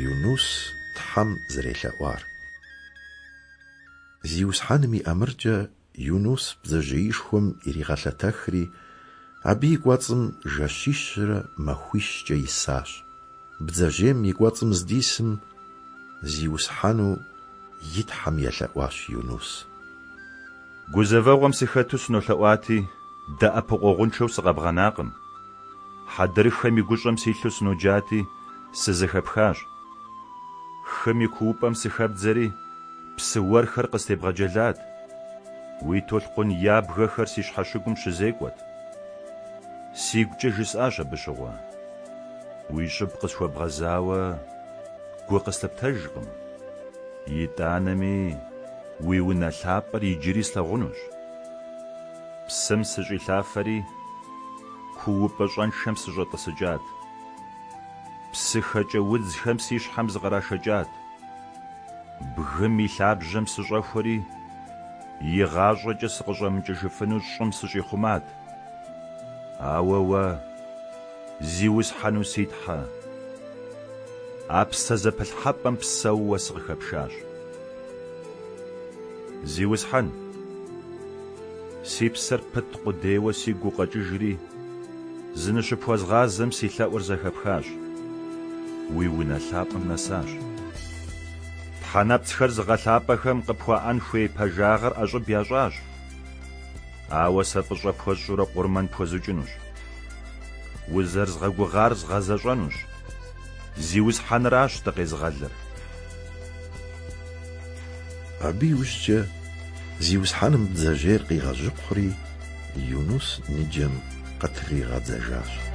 Юнус Тхьэм зэрелъэӀуар. Зиусхьэным и ӏэмыркӀэ Юнус бдзэжьеишхуэм иригъэлъэтэхри, абы и кӀуэцӀым жэщищрэ махуищкӀэ исащ. Бдзэжьейм и кӀуэцӀым здисым, Зиусхьэну и Тхьэм елъэӀуащ Юнус. Гузэвэгъуэм сыхэту сынолъэӀуати, дэӀэпыкъуэгъуншэу сыкъэбгъэнакъым. Хьэдрыхэм и гущӀэм силъу сыноджати, сызэхэпхащ. Хым и куупӀэм сыхэбдзэри, псы уэрхэр къыстебгъэджэлат. Уи толъкъун ябгэхэр си щхьэщыгум щызекӀуэт. СигукӀэ жысӀащ абы щыгъуэ: Уи щӀыб къысхуэбгъэзауэ гу къыслъыптэжкъым. ИтӀанэми уи унэ лъапӀэр иджыри слъагъунущ. Псым сыщӀилъафэри, куупӀэ щӀэншэм сыщӀэтӀысыкӀат. ПсыхэкӀэ удзхэм си щхьэм зыкърашэкӀат. Бгым и лъабжьэм сыщӀэхуэри, игъащӀэкӀэ сыкъыщӀэмыкӀыжыфыну щӀым сыщӀихъумат. Ауэ уэ, Зиусхьэну си Тхьэ, а псэ зэпылъхьэпӀэм псэууэ сыкъыхэпшащ. Зиусхьэн, си псэр пыт къудейуэ сигу укъэкӀыжри, зыныщыпхуэзгъазэм си лъэӀур зэхэпхащ, уи унэ лъапӀэм нэсащ. ТхьэнэпцӀхэр зыгъэлъапӀэхэм къыпхуаӀэн хуей пэжагъэр ӀэщӀыб ящӀащ, ауэ сэ фӀыщӀэ пхуэсщӀурэ къурмэн пхуэзукӀынущ. Узэрызгъэгугъар згъэзэщӀэнущ. Зиусхьэныращ дыкъезыгъэлыр. Абы иужькӀэ Зиусхьэным бдзэжьейр къигъэжьыкхъури, Юнус ныджэм къытригъэдзэжащ.